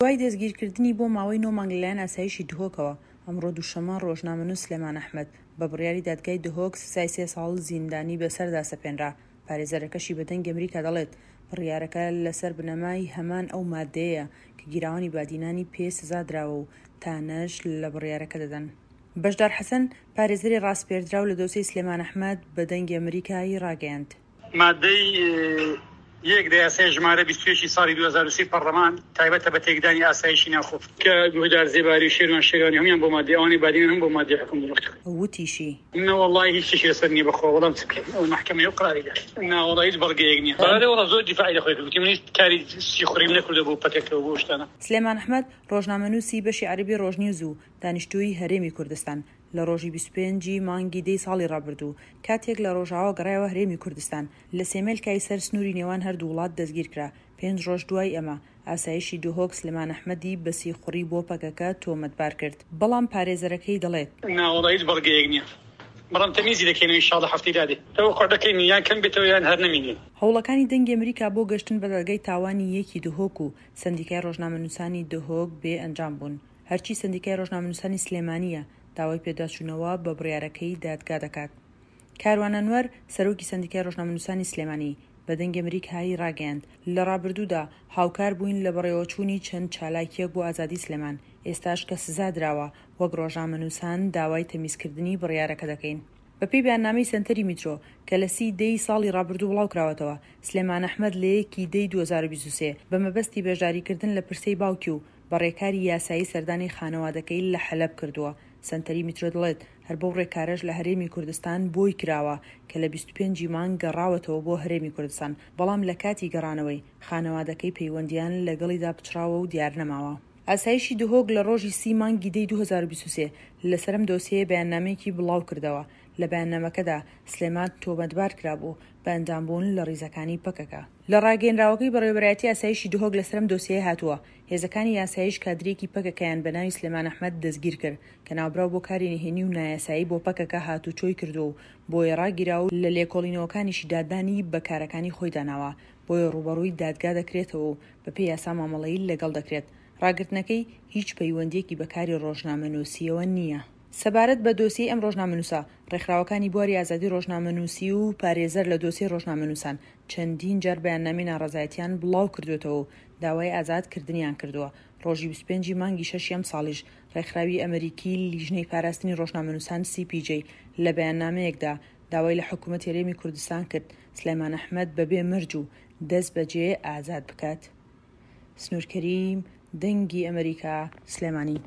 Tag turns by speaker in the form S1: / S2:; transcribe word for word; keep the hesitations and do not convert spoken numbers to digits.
S1: دوای دەستگیرکردنی بۆ ماوەی نۆ مانگ لەلایەن ئاسایشی دهۆکەوە، ئەمڕۆ دووشەممە ڕۆژنامەنووس سلێمان ئەحمەد بە بڕیاری دادگای دهۆک سزای سێ ساڵ زیندانی بەسەردا سەپێنرا. پارێزەرەکەشی بە دەنگی ئەمریکا دەڵێت بڕیارەکە لەسەر بنەمای هەمان ئەو مادەیە کە گیراوانی بادینانی پێ سزا دراوە و تانەش لە بڕیارەکە دەدەن. بەشدار حەسەن، پارێزەری ڕاسپێردراو لە دۆسێی سلێمان ئەحمەد بە دەنگی ئەمریکای ڕاگەیاند.
S2: مادەی یەک لە یاسای ژمارە بیست و یەک ی ساڵی دوو هەزار و سێ پەڕلەمان تایبەتە بە تێکدانی ئاسایشی ناوخۆ کە گوهدار زێباری و شێروان شێروانی هەموویان بۆ مادەی ئەوانەی بادینان هەموو بۆ مادەی حوکم دروست.
S1: وتیشی.
S2: نەوەڵای هیچ شتێکی لەسەر نیە بەخوا وەڵام چ بکەین ئەو مەحکەمەیە و قەراری دا ناوەڵا هیچ بەڵگەیەک نیە بەڵێ وەڵا زۆر دیفاعی لە خۆی کرد وتی من هیچ کاری سیخوڕیم نەکردوە بۆ پەکەکە و بۆ ئەو شتانە.
S1: سلێمان ئەحمەد، ڕۆژنامەنووسی بەشی عەرەبی ڕۆژنیوز و دانیشتووی هەرێمی کوردستان، لە ڕۆژی بیست و پێنج ی مانگی دەی ساڵی ڕابردوو، کاتێک لە ڕۆژاوا گەڕایەوە هەرێمی کوردستان، لە سێمێلکای سەر سنووری نێوان هەردوو وڵات دەستگیرکرا. پێنج ڕۆژ دوای ئەمە، ئاسایشی دهۆک سلێمان ئەحمەدی بە سیخوڕی بۆ پەکەکە تۆمەتبار کرد، بەڵام پارێزەرەکەی دەڵێت.
S2: ناوەڵا هیچ بەڵگەیەک نییە، بەڵام تەمیزی دەکەینەوە ئیشاڵڵا هەفتەی دادێ تەوەقوع دەکەین یان کەم بێتەوە یان هەر نەمینێ.
S1: هەوڵەکانی دەنگی ئەمریکا بۆ گەشتن بە دادگای تاوانی یەکی دهۆک و سەندیکای ڕۆژنامەنووسانی دهۆک بێ ئەنجام بوون. هەرچی سەندیکای ڕۆژنامەنووسانی سلێمانییە داوای پێداچوونەوە بە بڕیارەکەی دادگا دەکات. کاروان ئەنوەر، سەرۆکی سەندیکای ڕۆژنامەنووسانی سلێمانی، بە دەنگی ئەمریکای ڕاگەیاند، لە ڕابردوودا هاوکار بووین لە بەڕێوەچوونی چەند چالاکییەک بۆ ئازادی سلێمان، ئێستاش کە سزا دراوە وەک ڕۆژنامەنووسان داوای تەمیزکردنی بڕیارەکە دەکەین. بەپێی بەیاننامەی سەنتەری میترۆ کە لە سی دەی ساڵی ڕابردوو بڵاوکراوەتەوە، سلێمان ئەحمەد لە یەک ی دەی دوو هەزار و بیست و سێ بە مەبەستی بەشداریکردن لە پرسەی باوکی و بە ڕێکاری یاسایی سەردانی خانەوادەکەی لە حەلەب کردووە. سەنتەری میترۆ دەڵێت، هەر بەو ڕێکارەش لە هەرێمی کوردستان بۆی کراوە کە لە بیست و پێنج ی مانگ گەڕاوەتەوە بۆ هەرێمی کوردستان، بەڵام لە کاتی گەڕانەوەی، خانەوادەکەی پەیوەندییان لەگەڵیدا پچڕاوە و دیارنەماوە. ئاسایشی دهۆک لە ڕۆژی سی مانگی دەی دوو هەزار و بیست و سێ لەسەر ئەم دۆسیەیە بەیاننامەیەکی بڵاوکردەوە، لە بەیاننامەکەدا سلێمان تۆمەتبار کرابوو بە ئەندامبوون لە ڕیزەکانی پەکەکە. لە ڕاگەیەنراوەکەی بەڕێوەبەرایەتی ئاسایشی دهۆک لەسەر ئەم دۆسیەیە هاتووە، هێزەکانی ئاسایش کادرێکی پەکەکەیان بە ناوی سلێمان ئەحمەد دەستگیرکرد کە ناوبراو بۆ کاری نهێنی و نایاسایی بۆ پەکەکە هاتووچۆی کردووە و بۆیە ڕاگیرا و لە لێکۆڵینەوەکانیشیدا دانی بە کارەکانی خۆیدا ناوە بۆیە ڕووبەڕووی دادگا دەکرێتەوە و بەپێی یاسا مامەڵەی لەگەڵ دەکرێت. ڕاگرتنەکەی هیچ پەیوەندییەکی بە کاری ڕۆژنامەنووسییەوە نییە. سەبارەت بە دۆسیەی ئەم ڕۆژنامەنووسە، ڕێکخراوەکانی بواری ئازادی ڕۆژنامەنووسی و پارێزەر لە دۆسیەی ڕۆژنامەنووسان چەندین جار بەیاننامەی ناڕەزایەتیان بڵاو کردووەتەوە و داوای ئازاد کردنیان کردووە. ڕۆژی بیست و پێنج ی مانگی شەشی ئەمساڵیش ڕێکخراوی ئەمریکی لیژنەی پاراستنی ڕۆژنامەنووسان سی پی جەی لە بەیاننامەیەکدا داوای لە حکوومەتی هەرێمی کوردستان کرد سلێمان ئەحمەد بەبێ مەرج و دەستبەجێ ئازاد بکات. سنوور کەریم، دەنگی ئەمریکا، سلێمانی.